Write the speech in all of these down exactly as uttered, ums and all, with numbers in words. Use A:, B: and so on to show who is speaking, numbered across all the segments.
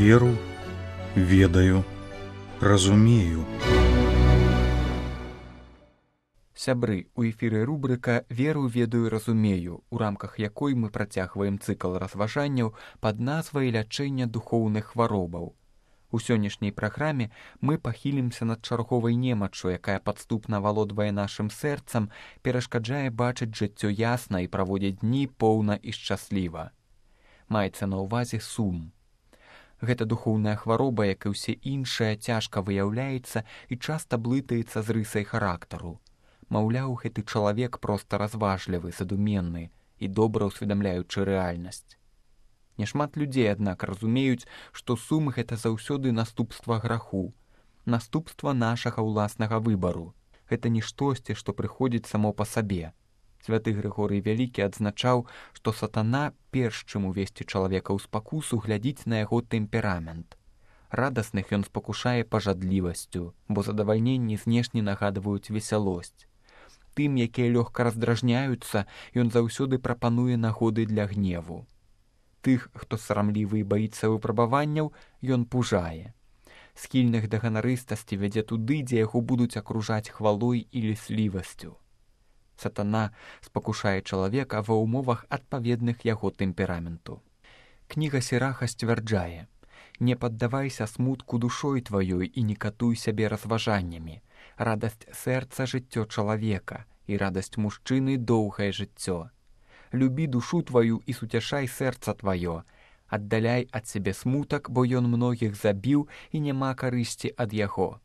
A: Веру, ведаю, разумею.
B: Сябры, у эфіры рубрыка «Веру, ведаю, разумею», у рамках якой мы працягваем цыкл разважанняў пад назвай «Лячэнне духоўных хваробаў». У сённяшняй праграме мы пахілімся над чарговай немаччу, якая падступна валодвае нашым сэрцам, перашкаджае бачыць жыццё ясна і праводзіць дні поўна і шчасліва. Маецца на ўвазе сум. Гэта духоўная хвароба, як і ўсе іншыя, цяжка выяўляецца і часта блытаецца з рысай характару. Маўляў, гэты чалавек проста разважлівы, задуменны і добра ўсведамляючы рэальнасць. Няшмат людзей, аднак, разумеюць, што сум — гэта заўсёды наступства граху, наступства нашага ўласнага выбару. Гэта не штосьці, што прыходзіць само па сабе. Святы Грыгорый Вялікі адзначаў, што сатана, перш чым увесці чалавека ў спакусу, глядзіць на яго тэмперамент. Радасных ён спакушае пажадлівасцю, бо задавальненні знешне нагадваюць весялосць. Тым, якія лёгка раздражняюцца, ён заўсёды прапануе нагоды для гневу. Тых, хто сарамлівы і баіцца выпрабаванняў, ён пужае. Схільных да ганарыстасці вядзе туды, дзе яго будуць акружаць хвалой і ліслівасцю. Сатана спакушае чалавека ва ўмовах адпаведных яго тэмпераменту. Кніга Сіраха сцвярджае: «Не паддавайся смутку душой тваёй і не катуй сябе разважаннямі. Радасць сэрца — жыццё чалавека, і радасць мужчыны — доўгае жыццё. Любі душу тваю і суцяшай сэрца тваё. Аддаляй ад сябе смутак, бо ён многіх забіў і няма карысці ад яго.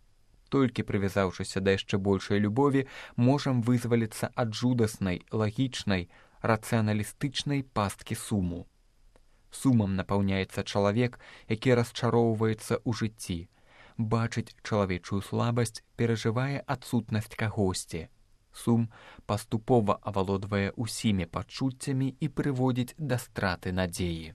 B: Толькі прывязаўшыся да яшчэ большай любові, можам вызваліцца ад жудаснай, лагічнай, рацыяналістычнай пасткі суму». Сумам напаўняецца чалавек, які расчароўваецца ў жыцці, бачыць чалавечую слабасць, перажывае адсутнасць кагосьці. Сум паступова авалодвае ўсімі пачуццямі і прыводзіць да страты надзеі.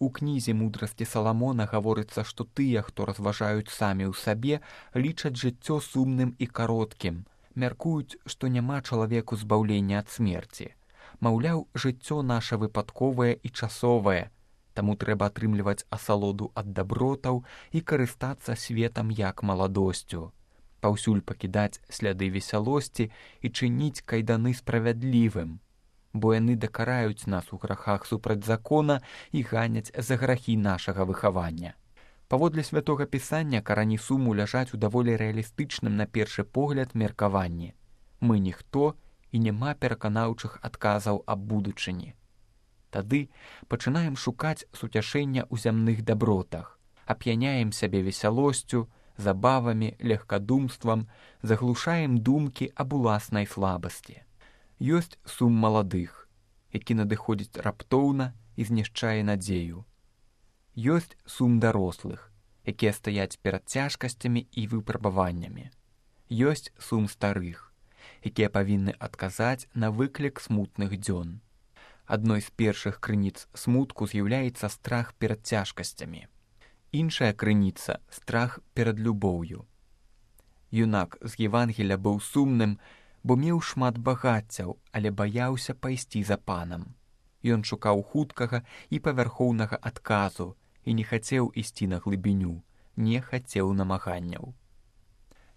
B: У кнізе «Мудрасці Саламона» гаворыцца, што тыя, хто разважаюць самі ў сабе, лічаць жыццё сумным і кароткім, мяркуюць, што няма чалавеку збаўлення ад смерці. Маўляў, жыццё наша выпадковае і часовае, таму трэба атрымліваць асалоду ад дабротаў і карыстацца светам як маладосцю. Паўсюль пакідаць сляды весялосці і чыніць кайданы справядлівым, бо яны дакараюць нас у грахах супраць закона і ганяць за грахі нашага выхавання. Паводле святога пісання карані суму ляжаць у даволі рэалістычным на першы погляд меркаванні. Мы ніхто і няма пераканаўчых адказаў аб будучыні. Тады пачынаем шукаць суцяшэння ў зямных дабротах, ап'яняем сябе весялосцю, забавамі, легкадумствам, заглушаем думкі аб уласнай слабасці. Ёсць сум маладых, які надыходзіць раптоўна і знішчае надзею. Ёсць сум дарослых, якія стаяць перад цяжкасцямі і выпрабаваннямі. Ёсць сум старых, якія павінны адказаць на выклік смутных дзён. Адной з першых крыніц смутку з'яўляецца страх перад цяжкасцямі. Іншая крыніца — страх перад любоўю. Юнак з Евангеля быў сумным, бо меў шмат багаццяў, але баяўся пайсці за панам. Ён шукаў хуткага і павярхоўнага адказу і не хацеў ісці на глыбіню, не хацеў намаганняў.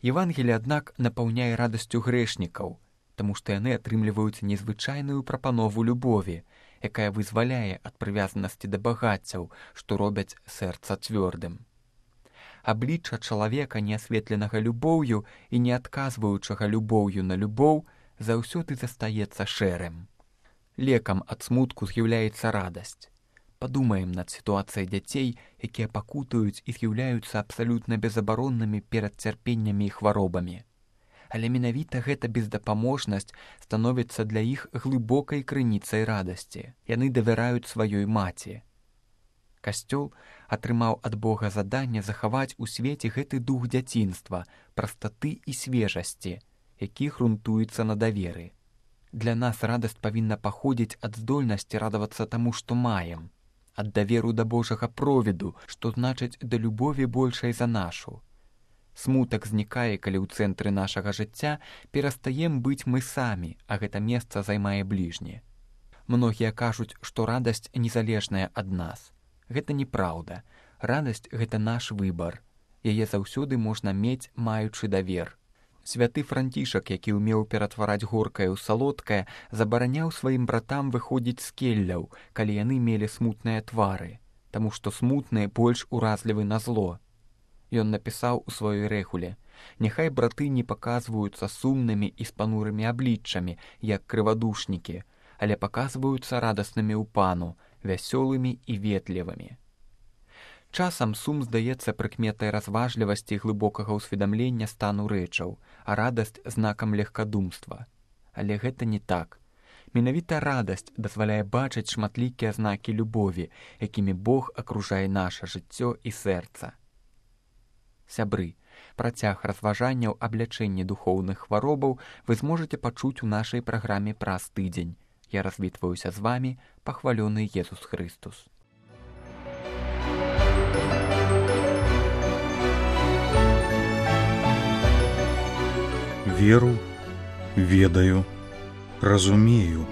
B: Евангеле, аднак, напаўняе радасцю грэшнікаў, таму што яны атрымліваюць незвычайную прапанову любові, якая вызваляе ад прывязанасці да багаццяў, што робяць сэрца цвёрдым. Аблічча чалавека, не асветленага любоўю і не адказваючага любоўю на любоў, заўсёды застаецца шэрым. Лекам ад смутку з'яўляецца радасць. Падумаем над сітуацыяй дзяцей, якія пакутаюць і з'яўляюцца абсалютна безабароннымі перад цярпеннямі і хваробамі. Але менавіта гэта бездапаможнасць становіцца для іх глыбокай крыніцай радасці. Яны давяраюць сваёй маці. Касцёл атрымаў ад Бога заданне захаваць у свеце гэты дух дзяцінства, прастаты і свежасці, які грунтуецца на даверы. Для нас радасць павінна паходзіць ад здольнасці радавацца таму, што маем, ад даверу да Божага провіду, што значыць да любові большай за нашу. Смутак знікае, калі ў цэнтры нашага жыцця перастаем быць мы самі, а гэта месца займае бліжні. Многія кажуць, што радасць незалежная ад нас. Гэта неправда. Радасць – гэта наш выбар. Яе заўсёды можна мець, маючы давер. Святы Францішак, які ўмеў ператвараць горкае ў салодкае, забараняў сваім братам выходзіць з келляў, калі яны мелі смутныя твары, таму што смутныя больш уразлівы на зло. Ён напісаў у сваёй рэгуле: «Няхай браты не паказваюцца сумнымі і з панурымі абліччамі, як крывадушнікі, але паказваюцца радаснымі ў пану, вясёлымі і ветлівымі». Часам сум здаецца прыкметай разважлівасці і глыбокага ўсведамлення стану рэчаў, а радасць знакам легкадумства. Але гэта не так. Менавіта радасць дазваляе бачыць шматлікія знакі любові, якімі Бог акружае наша жыццё і сэрца. Сябры, працяг разважанняў аб лячэнні духоўных хваробаў вы зможаце пачуць у нашай праграме праз тыдзень. Я развітваюся з вамі, пахвалёны Езус Хрыстус.
A: Веру, ведаю, разумею.